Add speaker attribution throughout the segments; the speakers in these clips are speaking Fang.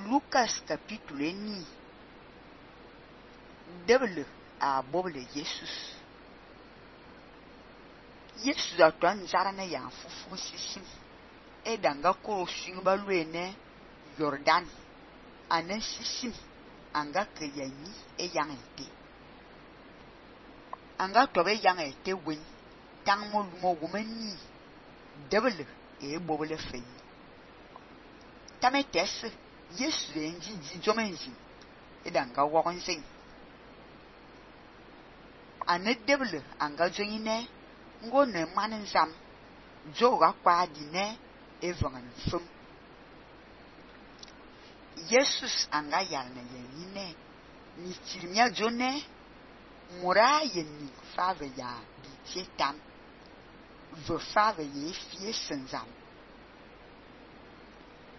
Speaker 1: Lucas capítulo 1. Debele a bobele Jesus. Jesus a tuan zara na ya fufu sisim. E danga koro swing baluene Jordan. Anen sisim anga ke yanyi e yang ete. Anga tobe yang ete wen. Tang mo lumo wumeni. Debele e bobele fei. Tame tese Jesus enji jomenji. E danga wakon sing. Ane debele anga joine ngo ne manin zam joga kwa dine evangan fum. Jesus anga yalne yenine ni tirmia jone mura yenni fave ya bitie tam ve fave ye fie senzam.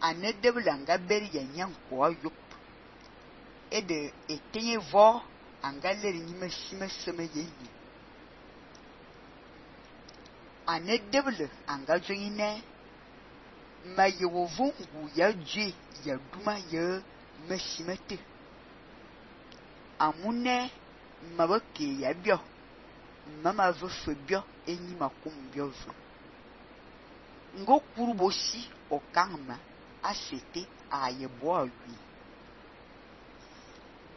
Speaker 1: Ane debele anga beri yenyan kwa yup e de etenye vo anga leri nime sime yeyi. Ane debele anga joine ma yewovungu ya dje ya duma ya mesimete. Amune mabake ya bio mama vefe bio enyi makum bio ve. Ngo kurubosi okangma asete a yebo awi.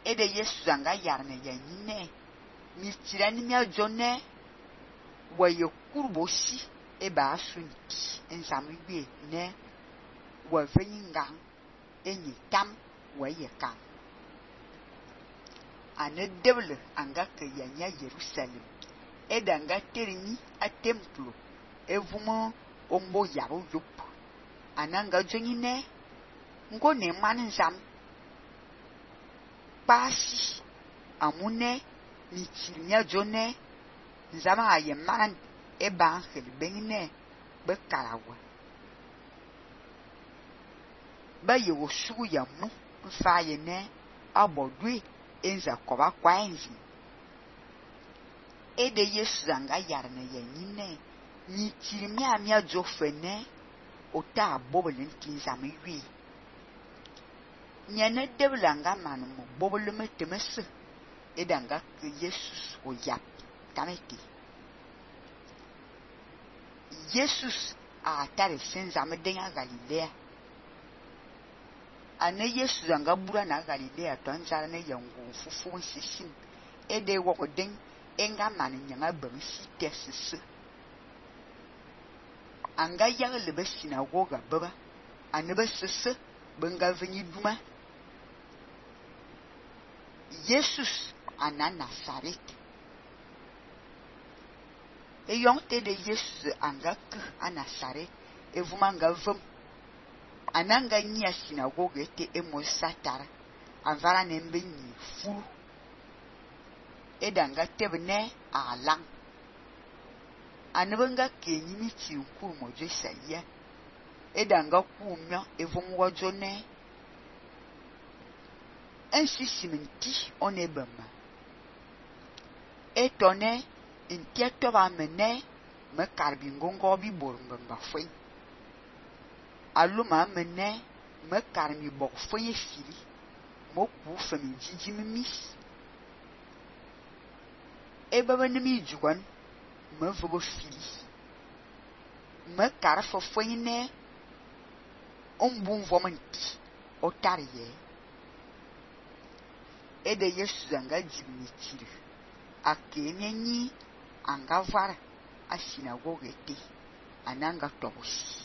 Speaker 1: Ede Yesu anga yarne yanyine mi tirani mi ajone wa ye kurubosi eba asunti ensamiwe ne wa venyinga enyi tam wa ye kan. Ane debele anga ke yanya Jerusalem eda anga terini a templo evumo ombo yaro yup. Ananga jonyine ngo ne maninzam pasi amune mitirinya jone nzama aye man eba angel bengine be kalawa ba ye wosu ya mu mfa ye ne abodwe enza koba kwa enzi. Ede Yesu anga yarne yenine mitirinya amia jofene ota bobele ntinzam yui. Nyane debele anga manu mo bobele metemese edanga ke Jesus o yap tameti. Jesus a tare senzame denga Galilea. Ane Jesus anga bura na Galilea tonzara ne yango fufu sisim ede woko den enga manu nyanga bamsi tesese. Anga yagle be sinagoga baba ane be sese benga venyi duma. Jesus ana Nazaret. E yonte de Jesus anga ke a Nazaret evumanga vum. Ananga nya sinagoga ete emo satara anvara nembe nyi furu. Edanga tebne alang. Anebenga kenyi miti nkuru mojo saya. Edanga kumyo evumwa jone. Ensi siminti onebama. Etone intieto ba mene me karbingongo bi bormbamba fwen. Aluma mene me karmi bok fwen fili. Mo ku femi jijimi mis. Ebaba nemi juwan me vogo fili. Me karfo fwen ne ombun vomanti otariye. Ede Yesu anga jibni tiri. Akenyenyi anga vara a sinagoga ete. Ananga tobosi.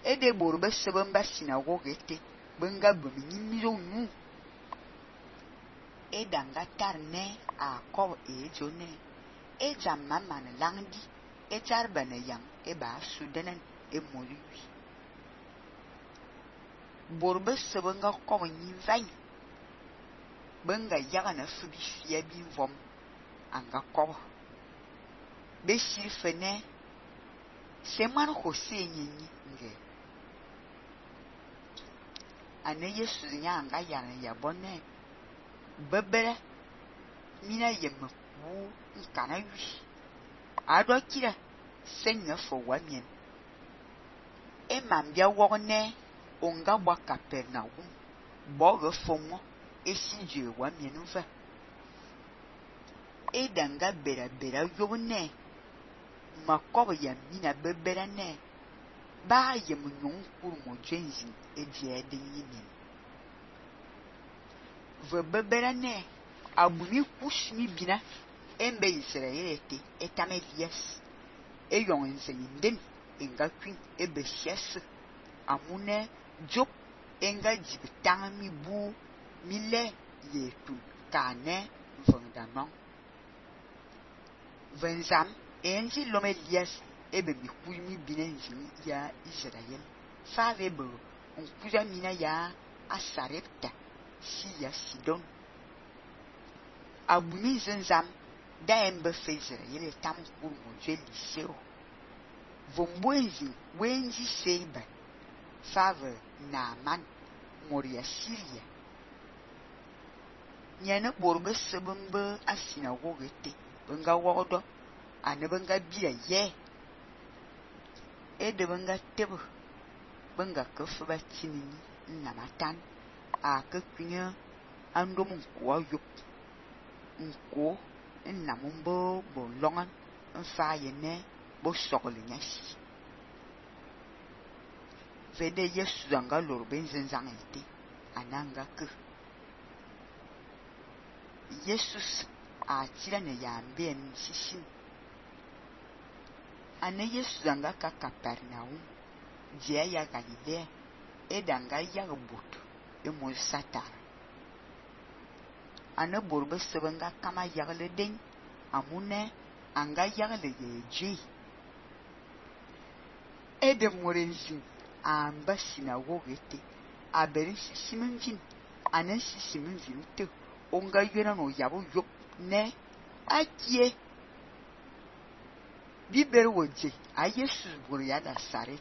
Speaker 1: Ede borbe sebemba sinagoga ete. Benga beminyi milonu. Eda anga tarne a kob e jone. E jamma man langdi. E jarbane yang eba sudenen e moliwi. Borbe sebenga kob nyi vanyi. Benga yagana fubi fia bin vom anga kobo. Beshir fene seman hose nyinyi nge. Ane Yesu nya anga yana yabone bebere mina yemme wu nkana wi. Ado kira senya fo wamien. E mambia wogne onga bwa Capernaum bo ge fomo esi je wa mienuva edanga bera yobne makob ya mina bebera ne ba yem nyon kur mo jenzi edie de yinin ve bebera ne abuni kushmi bina embe Israel ete etamelias eyon nzeyinden enga kwin ebe sias amune job enga jibtang mi bu mile yetun kane vendanon venzam enzi lomelias ebe mi kuimi binenzi ya Israel fave be onkuja mina ya Asarepta si ya Sidon abuni zenzam da embe fe Israel tam kur mo je liseo vombuenzi wenzi seiba fave Naaman moria Syria nyane borbe sebembe asina wogete benga wodo ane benga bia ye ede benga tebe benga kefe ba tinini namatan a ke kwinya andom nko ayop nko namumbo bo longan mfa yene bo sokole nyasi vede Yesu zanga lorbe nzenzang ete ananga ke Jesus a tira ne yambe sisim ane Yesu zanga ka Capernaum dia ya Galilea edanga ya bot mo satar ane borbe sebenga kama yagle den amune anga yagle yeji ede morenzi amba sinagogete aberi sisimvin ane sisimvin te onga yena no yabo yop ne akie biber woje a Yesu buru ya da sare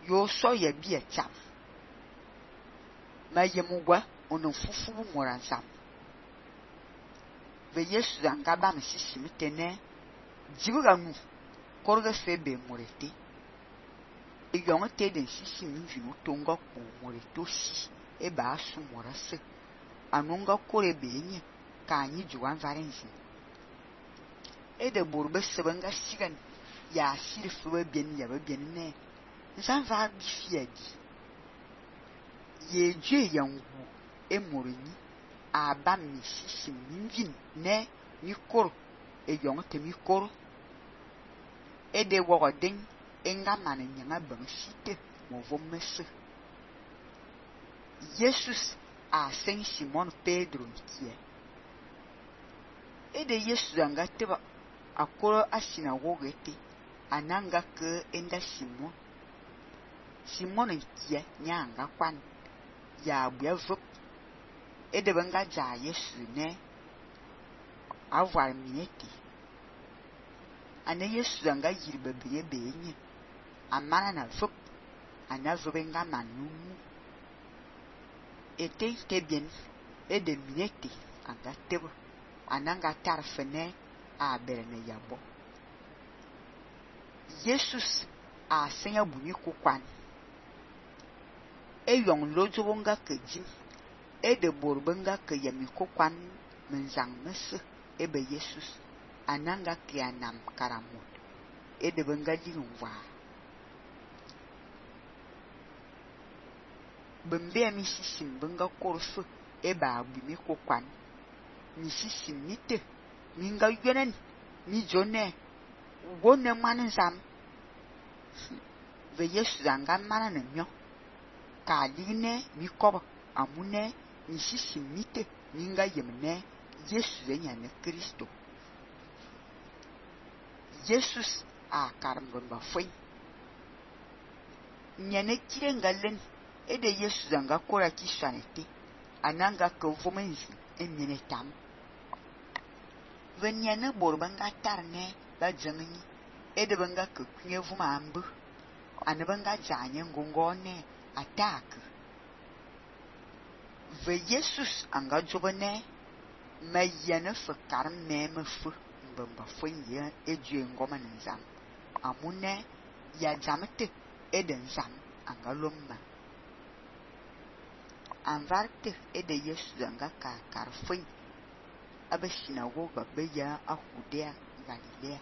Speaker 1: yo so ya bi etam ma yemugwa ono fufu moransam ve Yesu anga ba msisimite ne jibuga mu korga febe morete yon te den sisimvin tonga ko moreto si e ba su morase anunga kore benye ka anyi juwan varenzi ede borbe sebenga sigan ya sirfuwe bien ya bien ne nsan va bifiadi yeje yangu emoreni aba misisi minvin ne mikoro eyon te mikoro ede wogodin enga mane nyanga bansite mo vomese Jesus a Saint Simon Pedro nkie ede Yesu anga teba akoro asina wogete ananga ke enda Simon nkie nyanga kwan ya buevup ede banga ja Yesu ne avoir mineti ane Yesu anga yirbe benye amana na vup ana vubenga manumu ete bien ede mineti anga teba ananga tarfene a berene yabo Jesus a senya buni kukwan yon lojobonga kejim ede borbenga ke yami kukwan menzang mese ebe Jesus ananga ke anam karamot ede benga jinwa bembe mi sisim benga korfu eba buni kukwan mi sisim mite minga yenen mi jone wonne manzam ve Yesu zanga mana na myo ka line mi koba amune mi sisimite minga yemne Yesu zenya ne Kristo Jesus a karamgon ba foi nyane kirenga len ede Yesu zanga kora kishanete ananga ko vomenzi emene tam venyane borbanga tarne ba jangani ede banga ko kunye vuma ambu anabanga janye ngongone attack ve Jesus anga jobane mayane fakar meme fu mbamba fonye ejue ngoma nzam amune ya jamete eden zam angalomma anvarte ede Yesu zanga karfin abe sinagoga be ya a Judea Galilea